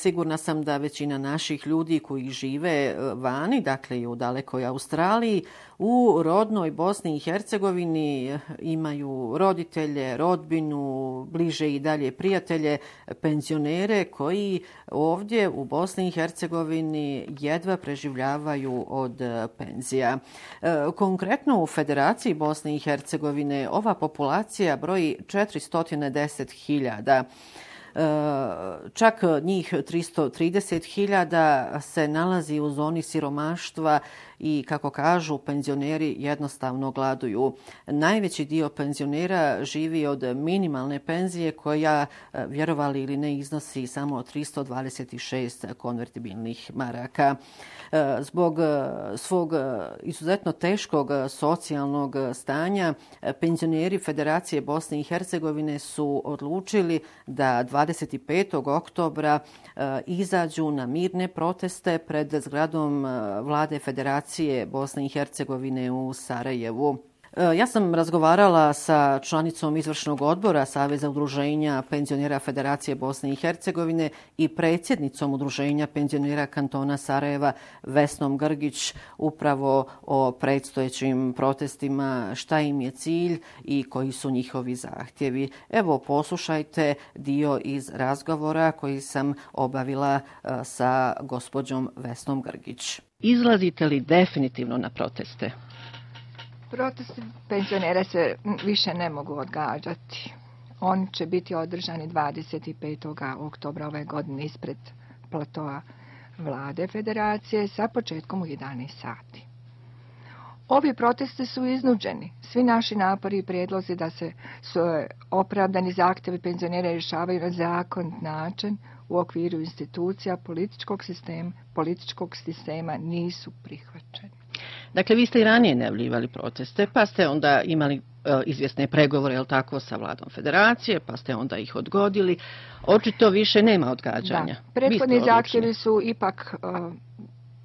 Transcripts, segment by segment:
Sigurna sam da većina naših ljudi koji žive vani, dakle i u dalekoj Australiji, u rodnoj Bosni i Hercegovini imaju roditelje, rodbinu, bliže i dalje prijatelje, penzionere koji ovdje u Bosni i Hercegovini jedva preživljavaju od penzija. Konkretno u Federaciji Bosne i Hercegovine ova populacija broji 410.000. Čak njih 330.000 se nalazi u zoni siromaštva i, kako kažu, penzioneri jednostavno gladuju. Najveći dio penzionera živi od minimalne penzije koja, vjerovali ili ne, iznosi samo 326 konvertibilnih maraka. Zbog svog izuzetno teškog socijalnog stanja, penzioneri Federacije Bosne i Hercegovine su odlučili da 25. oktobra izađu na mirne proteste pred zgradom vlade Federacije Bosne i Hercegovine u Sarajevu. Ja sam razgovarala sa članicom izvršnog odbora Saveza udruženja penzionera Federacije Bosne i Hercegovine i predsjednicom udruženja penzionera kantona Sarajeva Vesnom Grgić upravo o predstojećim protestima, šta im je cilj i koji su njihovi zahtjevi. Evo, poslušajte dio iz razgovora koji sam obavila sa gospođom Vesnom Grgić. Izlazite li definitivno na proteste? Protesti penzionera se više ne mogu odgađati. Oni će biti održani 25. oktobra ove godine ispred platoa vlade Federacije sa početkom u 11 sati. Ovi protesti su iznuđeni. Svi naši napori i prijedlozi da se opravdani zahtjevi penzionera rješavaju na zakonit način u okviru institucija političkog sistema nisu prihvaćeni. Dakle, vi ste i ranije najavljivali proteste, pa ste onda imali izvjesne pregovore, jel tako, sa vladom Federacije, pa ste onda ih odgodili. Očito više nema odgađanja. Da, prethodni zahtjevi su ipak,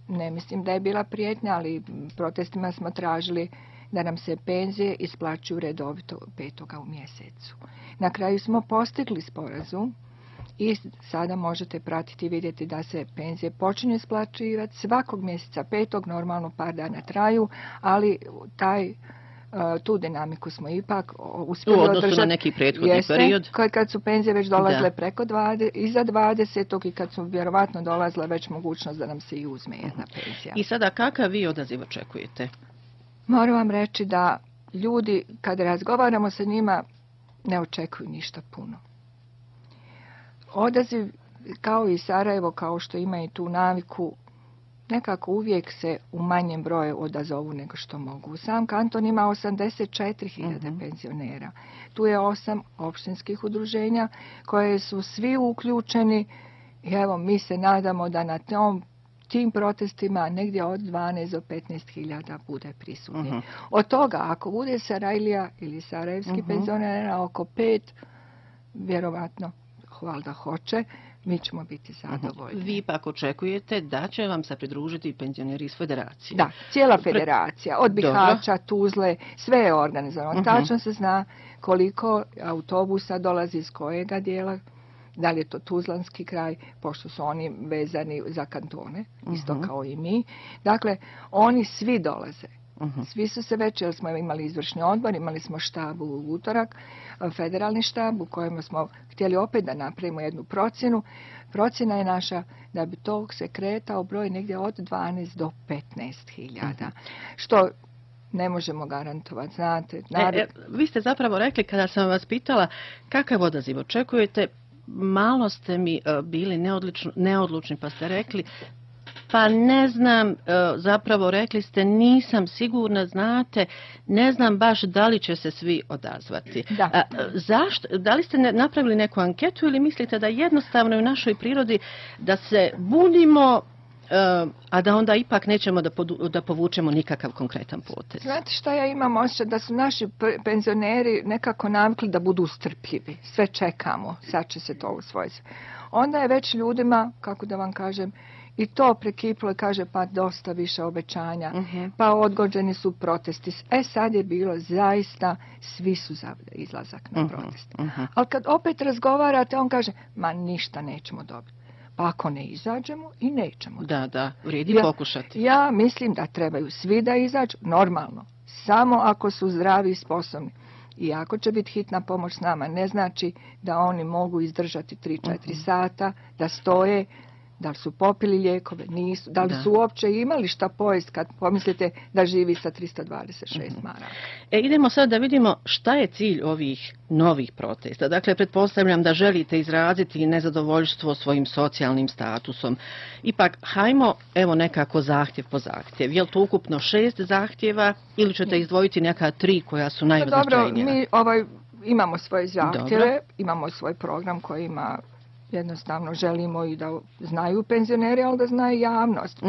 ne mislim da je bila prijetnja, ali protestima smo tražili da nam se penzije isplaćuju redovito 5. u mjesecu. Na kraju smo postigli sporazum i sada možete pratiti i vidjeti da se penzije počinju isplaćivati svakog mjeseca 5. normalno par dana traju, ali tu dinamiku smo ipak uspjeli održati. U odnosu na neki prethodni period. Kad su penzije već dolazile iza 20. i kad su vjerovatno dolazile već mogućnost da nam se i uzme jedna penzija. I sada kakav vi odaziv očekujete? Moram vam reći da ljudi, kad razgovaramo sa njima, ne očekuju ništa puno. Odaziv, kao i Sarajevo, kao što ima i tu naviku, nekako uvijek se u manjem broju odazovu nego što mogu. Sam kanton ima 84.000 penzionera. Tu je 8 općinskih udruženja koje su svi uključeni i evo mi se nadamo da na tim protestima negdje od 12 do 15.000 bude prisutni. Od toga, ako bude Sarajlija ili sarajevski penzionera oko 5, vjerovatno valjda hoće, mi ćemo biti zadovoljni. Vi pak očekujete da će vam se pridružiti penzioneri iz Federacije? Da, cijela Federacija, od Bihaća, Tuzle, sve je organizovano. Tačno se zna koliko autobusa dolazi iz kojega dijela, da li je to Tuzlanski kraj, pošto su oni vezani za kantone, isto kao i mi. Dakle, oni svi dolaze. Svi su se već, jer smo imali izvršni odbor, imali smo štab u utorak, federalni štab u kojem smo htjeli opet da napravimo jednu procjenu. Procjena je naša da bi to se kretao broj negdje od 12 do 15.000, što ne možemo garantovati, znate. Vi ste zapravo rekli, kada sam vas pitala kakav odaziv očekujete, malo ste mi bili neodlučni, pa ste rekli pa ne znam, zapravo rekli ste nisam sigurna, znate, ne znam baš da li će se svi odazvati. Zašto? Da li ste napravili neku anketu ili mislite da jednostavno je u našoj prirodi da se bunimo, a da onda ipak nećemo da povučemo nikakav konkretan potez? Znate šta ja imam osjećaj? Da su naši penzioneri nekako navikli da budu strpljivi. Sve čekamo, sad će se to usvojiti. Onda je već ljudima, kako da vam kažem, i to prekiplo i kaže pa dosta više obećanja, pa odgođeni su protesti. Sad je bilo zaista, svi su za izlazak na protest. Ali kad opet razgovarate, on kaže, ma ništa nećemo dobiti. Pa ako ne izađemo i nećemo. Da, vrijedi pokušati. Ja mislim da trebaju svi da izađu, normalno, samo ako su zdravi i sposobni. I ako će biti hitna pomoć s nama, ne znači da oni mogu izdržati 3-4 sata, da stoje, da li su popili lijekove, nisu, da li su uopće imali šta pojesti kad pomislite da živi sa 326 maraka. Idemo sad da vidimo šta je cilj ovih novih protesta. Dakle, pretpostavljam da želite izraziti nezadovoljstvo svojim socijalnim statusom. Ipak, hajmo evo nekako zahtjev po zahtjev. Je li to ukupno 6 zahtjeva ili ćete izdvojiti neka 3 koja su najznačajnija? Dobro, mi imamo svoje zahtjeve, imamo svoj program koji ima. Jednostavno želimo i da znaju penzioneri, ali da znaju javnost.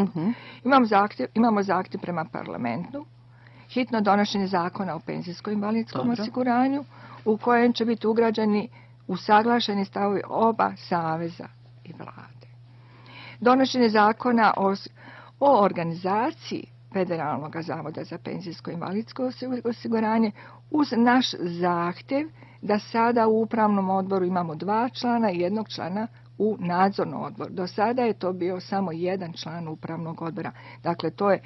Imamo zahtjev prema parlamentu, hitno donošenje zakona o penzijsko-invalidskom osiguranju, u kojem će biti ugrađeni usaglašeni stavovi oba saveza i vlade. Donošenje zakona o organizaciji Federalnog zavoda za penzijsko-invalidsko osiguranje uz naš zahtjev da sada u upravnom odboru imamo 2 člana i 1 člana u nadzornom odboru. Do sada je to bio samo 1 član upravnog odbora. Dakle, to je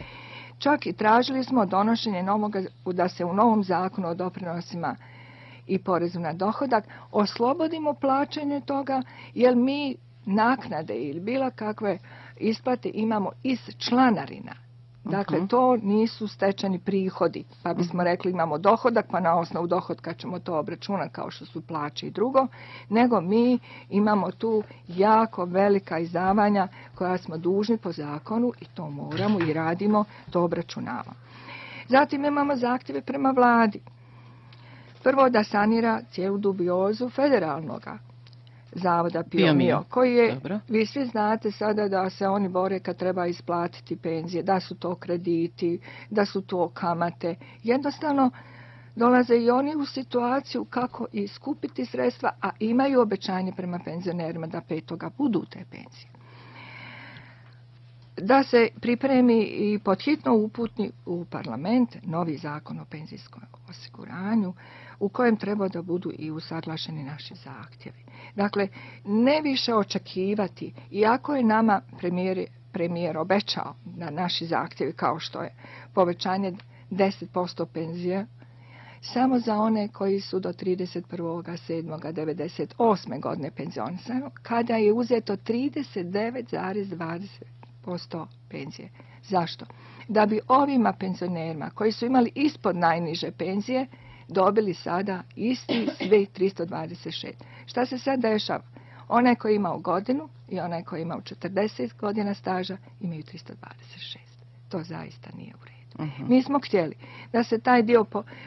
čak i tražili smo donošenje novoga, da se u novom zakonu o doprinosima i porezu na dohodak oslobodimo plaćanje toga, jer mi naknade ili bilo kakve isplate imamo iz članarina. Dakle, to nisu stečeni prihodi, pa bismo rekli imamo dohodak, pa na osnovu dohodka ćemo to obračunati kao što su plaće i drugo, nego mi imamo tu jako velika izdavanja koja smo dužni po zakonu i to moramo i radimo, to obračunavamo. Zatim imamo zahtjeve prema vladi. Prvo da sanira cijelu dubiozu federalnoga zavoda PIO, koji je, vi svi znate sada da se oni bore kad treba isplatiti penzije, da su to krediti, da su to kamate. Jednostavno dolaze i oni u situaciju kako iskupiti sredstva, a imaju obećanje prema penzionerima da 5. budu te penzije. Da se pripremi i podhitno uputni u parlament novi zakon o penzijskom osiguranju, u kojem treba da budu i usaglašeni naši zahtjevi. Dakle, ne više očekivati, iako je nama premijer obećao na naši zahtjevi, kao što je povećanje 10% penzije, samo za one koji su do 31.7.1998. godine penzionisani, kada je uzeto 39,20% penzije. Zašto? Da bi ovima penzionerima koji su imali ispod najniže penzije dobili sada isti sve 326. Šta se sad dešava? Onaj koji ima godinu i onaj koji ima 40 godina staža imaju 326. To zaista nije u redu. Mi smo htjeli da se taj dio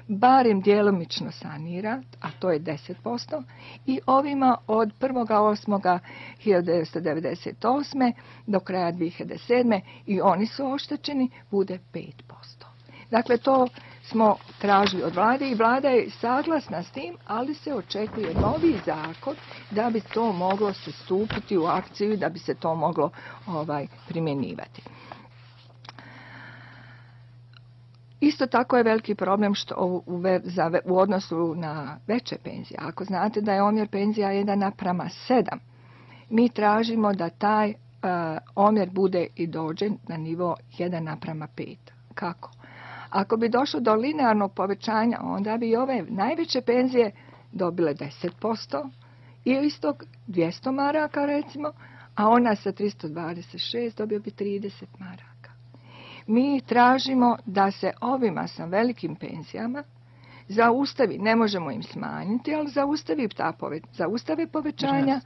barem djelomično sanira, a to je 10%, i ovima od 1.8.1998. do kraja 2007. i oni su oštećeni, bude 5%. Dakle, to smo tražili od vlade i vlada je saglasna s tim, ali se očekuje novi zakon da bi to moglo se stupiti u akciju i da bi se to moglo primjenjivati. Isto tako je veliki problem što u odnosu na veće penzije. Ako znate da je omjer penzija 1:7, mi tražimo da taj omjer bude i dođe na nivo 1:5. Kako? Ako bi došlo do linearnog povećanja, onda bi ove najveće penzije dobile 10% i istog 200 maraka recimo, a ona sa 326 dobio bi 30 maraka. Mi tražimo da se ovima sa velikim penzijama zaustavi, ne možemo im smanjiti, ali zaustave povećanja,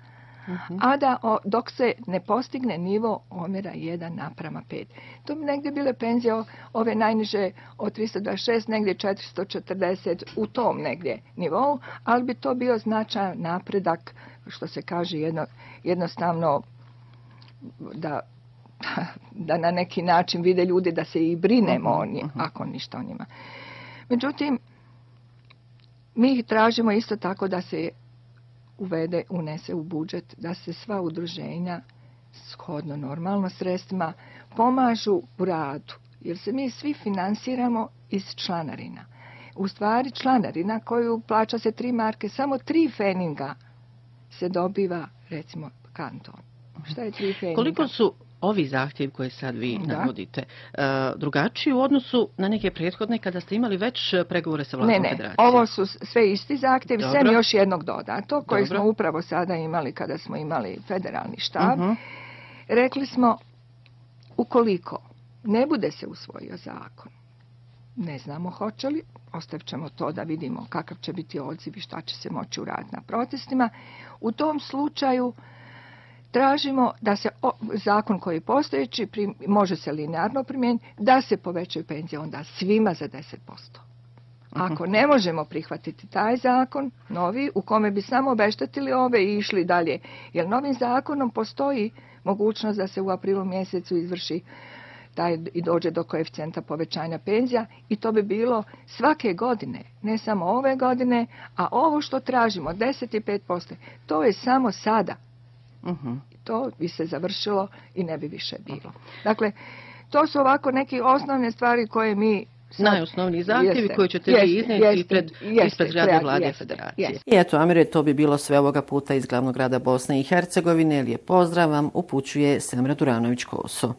a da dok se ne postigne nivo omjera 1:5. To bi negdje bile penzije ove najniže od 326, negdje 440 u tom negdje nivou, ali bi to bio značajan napredak, što se kaže jednostavno da na neki način vide ljudi da se i brinemo o njima, ako ništa o njima. Međutim, mi tražimo isto tako da se unese u budžet, da se sva udruženja shodno normalno sredstvima pomažu u radu, jer se mi svi finansiramo iz članarina. U stvari članarina koju plaća se 3 marke, samo 3 feninga se dobiva recimo kanton. Šta je 3 pfenninga? Koliko su ovi zahtjevi koje sad vi navodite drugačiji u odnosu na neke prethodne kada ste imali već pregovore sa vladom federacije? Ne, ovo su sve isti zahtjevi, sem još jednog dodato koji smo upravo sada imali kada smo imali federalni štab. Rekli smo, ukoliko ne bude se usvojio zakon, ne znamo hoće li, ostavit ćemo to da vidimo kakav će biti odziv i šta će se moći uraditi na protestima. U tom slučaju tražimo da se zakon koji je postojeći, može se linearno primijeniti, da se povećaju penzije onda svima za 10%. Ako ne možemo prihvatiti taj zakon, novi, u kome bi samo obeštetili ove i išli dalje, jer novim zakonom postoji mogućnost da se u aprilu mjesecu izvrši i dođe do koeficijenta povećanja penzija i to bi bilo svake godine, ne samo ove godine, a ovo što tražimo, 10,5%, to je samo sada. To bi se završilo i ne bi više bilo. Dakle, to su ovako neke osnovne stvari koje mi najosnovniji zahtjevi koji ćete vi iznijeti ispred zgrade vlade federacije. I eto, Amire, to bi bilo sve ovoga puta iz glavnog grada Bosne i Hercegovine. Lijep pozdrav vam upućuje Semra Duranović-Koso.